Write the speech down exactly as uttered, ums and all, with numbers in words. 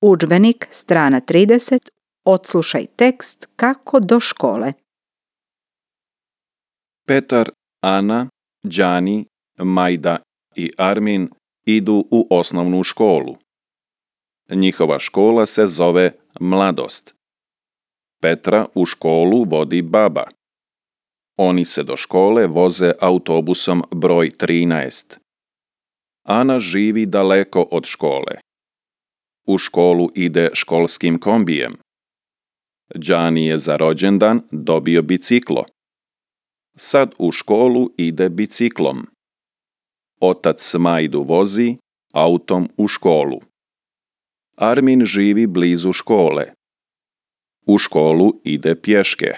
Udžbenik, strana trideset, odslušaj tekst kako do škole. Petar, Ana, Đani, Majda i Armin idu u osnovnu školu. Njihova škola se zove Mladost. Petra u školu vodi baba. Oni se do škole voze autobusom broj trinaest. Ana živi daleko od škole. U školu ide školskim kombijem. Đani je za rođendan dobio biciklo. Sad u školu ide biciklom. Otac Majdu vozi autom u školu. Armin živi blizu škole. U školu ide pješke.